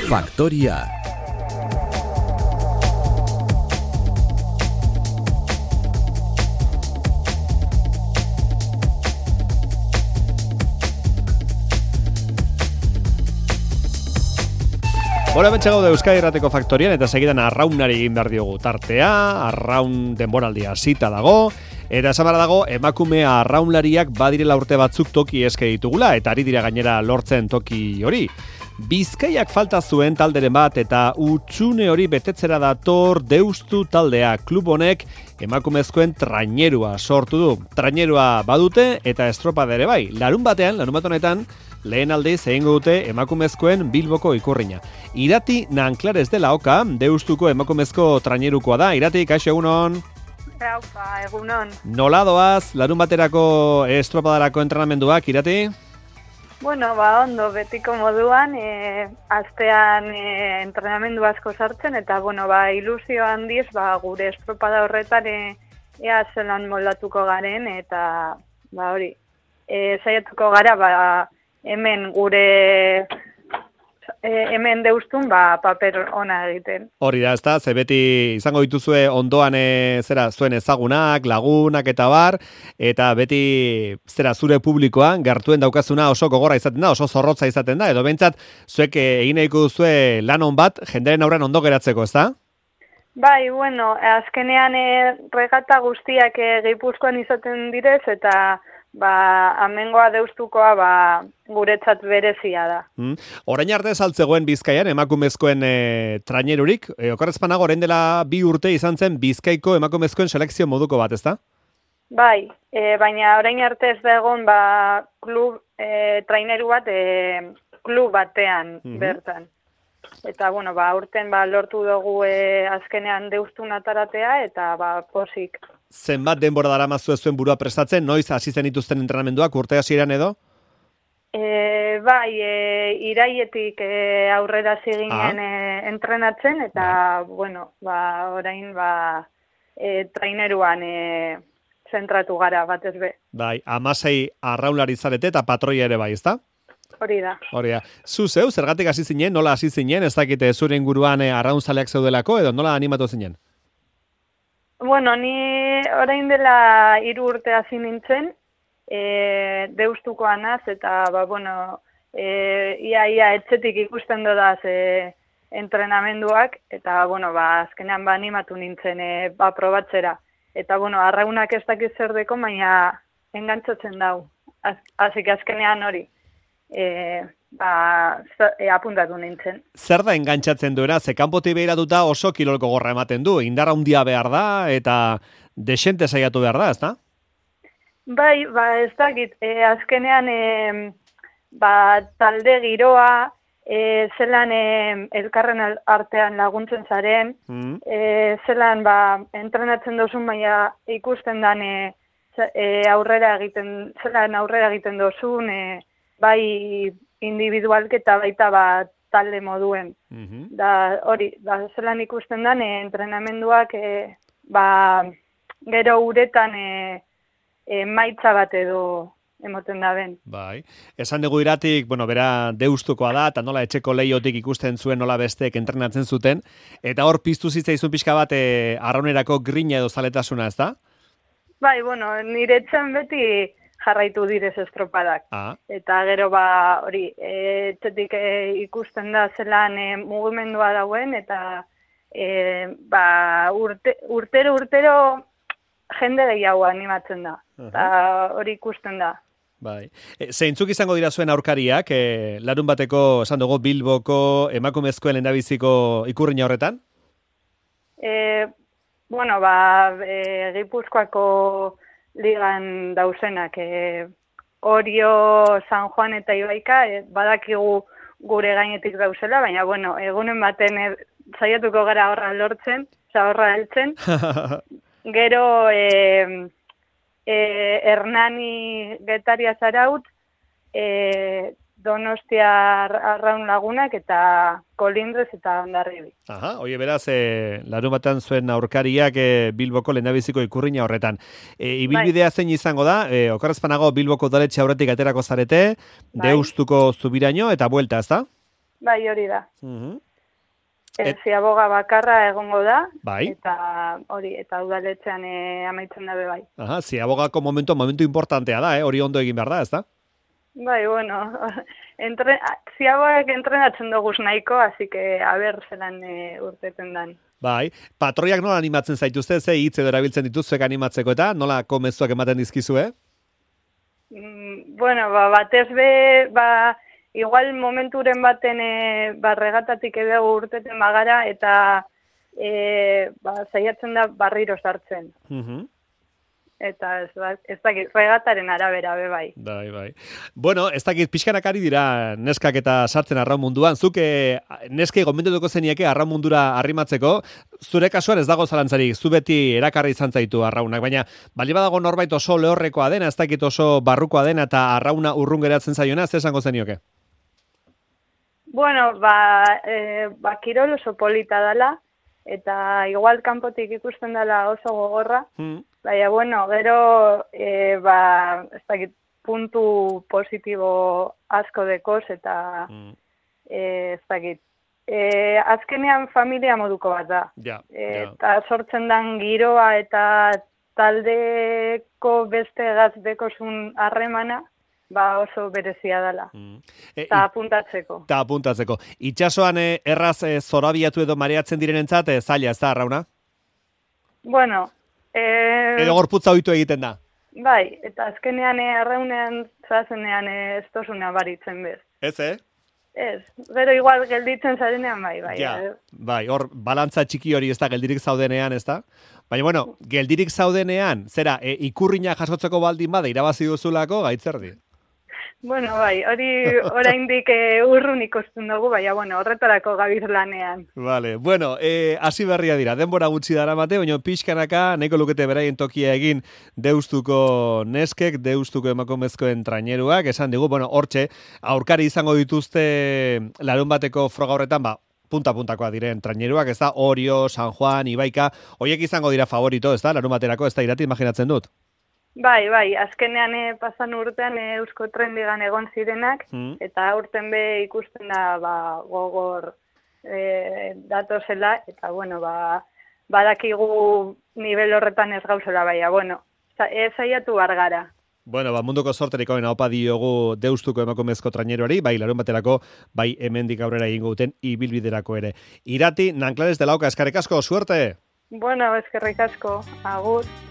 Faktoria. Hora betxe gaude Euskadi Irrateko Faktorian eta segidan arraunari egin behar diogu tartea, arraun denboraldia hasita dago, eta esan behar dago emakume arraunlariak badirela urte batzuk toki eske ditugula eta ari dira gainera lortzen toki hori. Bizkaiak falta zuen talderen bat eta utxune hori betetzera dator Deustu taldea. Klub honek emakumezkoen trainerua sortu du. Trainerua badute eta estropada ere bai. Larun bat honetan, lehen aldiz egingo dute emakumezkoen Bilboko ikurrina. Irati Nanclares de la Oca, Deustuko emakumezko trainerukoa da. Irati, kaixo egunon? Raupa, egunon. Nola doaz, larun baterako estropadarako entrenamenduak, Irati? Bueno, ondo, betiko moduan, astean entrenamendu asko sartzen, eta, ilusio handiz, gure estropada horretan ea zelan moldatuko garen, eta, hori, saiatuko gara, hemen gure hemen Deustun paper ona egiten. Hori da, ezta, ze beti izango dituzue ondoan zuen ezagunak, lagunak eta bar, eta beti zure publikoan gertuen daukazuna oso gogorra izaten da, oso zorrotza izaten da, edo behintzat zuek egin nahiko duzue lan on bat jenderen aurrean ondo geratzeko, ezta? Bai, azkenean regata guztiak Gipuzkoan izaten direz, eta amengoa Deustukoa guretzat berezia da. Orain arte saltzegoen Bizkaian emakumezkoen trainerurik, okerrezpanago orain dela 2 urte izan zen Bizkaiko emakumezkoen selekzio moduko bat, ezta? Bai, baina orain arte ez da egon klub traineru bat klub batean bertan. Eta, urten lortu dugu azkenean Deustun ataratea, eta posik. Zenbat denbora daramazu zuen burua prestatzen, noiz hasi zen dituzten entrenamenduak, urte hasieran edo? Bai, iraietik aurrera ziginen entrenatzen, eta, orain traineruan zentratu gara batez be. Bai, 16 arraunlari zarete eta patroia ere bai, ezta? Hori da. Zu zeu, zergatik hasi zinen, nola hasi zinen, ez dakite zure inguruan arraunzaleak zeudelako, edo nola animatu zinen? Ni orain dela 3 urte hasi nintzen, Deustukoa naz, eta, ia etxetik ikusten dodaz entrenamenduak, eta, azkenean animatu nintzen probatzera. Eta, arraunak ez dakit zer deko, baina engantzatzen dau. Asik azkenean hori. Apuntatu nintzen. Zer da engantzatzen duena? Ze kanpotik behiratuta oso kilolko gorra ematen du. Indar handia behar da eta desente saiatu behar da, ezta? Bai, ez dakit. Azkenean talde giroa, zelan elkarren artean laguntzen zaren, zelan entrenatzen dozun, baina ikusten dan aurrera egiten dozun, bai individualketa baita talde moduen. Hori, zelan ikusten dan, entrenamenduak gero uretan maitza bat edo emoten da ben. Bai, esan dugu Iratik, bera Deustukoa da, eta nola etxeko leiotik ikusten zuen nola besteek entrenatzen zuten, eta hor piztu zitzaizun pixka bat arraunerako grina edo zaletasuna, ez da? Bai, nire etxan beti jarraitu direz estropadak. Eta gero hori, etxetik ikusten da zelan mugimendua dauen, eta urtero jende gehiago animatzen da. Eta hori ikusten da. Bai. Zeintzuk izango dira zuen aurkariak, larun bateko, esan dugu, Bilboko emakumezkoen lehendabiziko ikurrina horretan? Gipuzkoako ligan dauzenak, Orio, San Juan eta Ibaika, badakigu gure gainetik dauzela, baina, egunen baten saiatuko gara horra lortzen, horra heltzen. Gero, Hernani Getaria Zaraut, Donostia Arraun Lagunak eta Kolindrez eta Hondarribi. Oie, beraz, larun batean zuen aurkariak Bilboko lehendabiziko ikurrina horretan. Ibilbidea zein izango da, okerrezpanago Bilboko udaletxe aurretik aterako zarete, Deustuko Zubiraino eta buelta, ez da? Bai, hori da. Mhm. Ziaboga bakarra egongo da, Bai. eta udaletxean amaitzen dabe bai. Aha, ziabogako momentu importantea da, hori ondo egin behar da, ez da? Bai, bueno, ziabogak entrenatzen duguz nahiko, así que aber zelan urteten dan. Bai, patroiak nola animatzen zaituzte, ze hitz edo erabiltzen dituzzuek animatzeko eta nola komezuak ematen dizkizue? Bueno, batez be, igual momenturen baten regatatik edo urteten bagara eta zaiatzen da barriro sartzen. Eta ez dakit, regataren arabera be bai. Bai. Bueno, ez dakit pixkanak ari dira neskak eta sartzen arraun munduan. Zuk neskei gomendutuko zenieke arraun mundura arrimatzeko, zure kasuan ez dago zalantzarik, zu beti erakarri izan zaitu arraunak, baina bali badago norbait oso lehorrekoa dena, ez dakit oso barrukoa dena eta arrauna urrun geratzen zaiona, ez esango zenioke? Bueno, kirol oso polita dela, eta igual kanpotik ikusten dela oso gogorra, baina, bueno, gero, ez dakit, puntu positibo asko dekoz, eta ez dakit. Azkenean familia moduko bat da. Eta sortzen dan giroa eta taldeko beste gazdekosun harremana, oso berezia dela. Eta apuntatzeko. Itxasoan erraz zorabiatu edo mareatzen direnentzat, zaila ez da, arrauna? Bueno, edo gorputza ohitu egiten da? Bai, eta azkenean arraunean zazenean ez tozuna baritzen bez. Ez, Ez, gero igual gelditzen zarenean bai. Bai, hor, balantza txiki hori ez da geldirik zaudenean, ez da? Baina, bueno, geldirik zaudenean, zera, ikurriña jasotzeko baldin bada irabazi duzulako, gaitzerdi? Bueno, bai, hori oraindik urrun ikusten dugu, baina, bueno, horretarako gabiz lanean. Vale, bueno, hasi berria dira, denbora gutxi dara mate, baina pixkanaka, nahiko lukete beraien tokia egin deustuko neskek, deustuko emakumezkoen traineruak, esan digu, bueno, hortxe, aurkari izango dituzte larun bateko froga horretan, punta-puntakoa diren traineruak, ez da, Orio, San Juan, Ibaika, horiek izango dira favorito, ez da, larun baterako, ez da, Irati, imaginatzen dut? Bai, azkenean pasan urtean Eusko Trendigan egon zirenak, eta urten be ikusten da gogor datozela, eta bueno, badakigu nivel horretan ez gauzela, baina, bueno, saiatu bargara. Bueno, munduko sorterik hoena opa diogu deustuko emakumezko traineruari, bai larun baterako, bai hemendik aurrera egingo duten ibilbiderako ere. Irati, Nanclares de la Oca, eskerrik asko, suerte! Bueno, eskerrik asko, agur!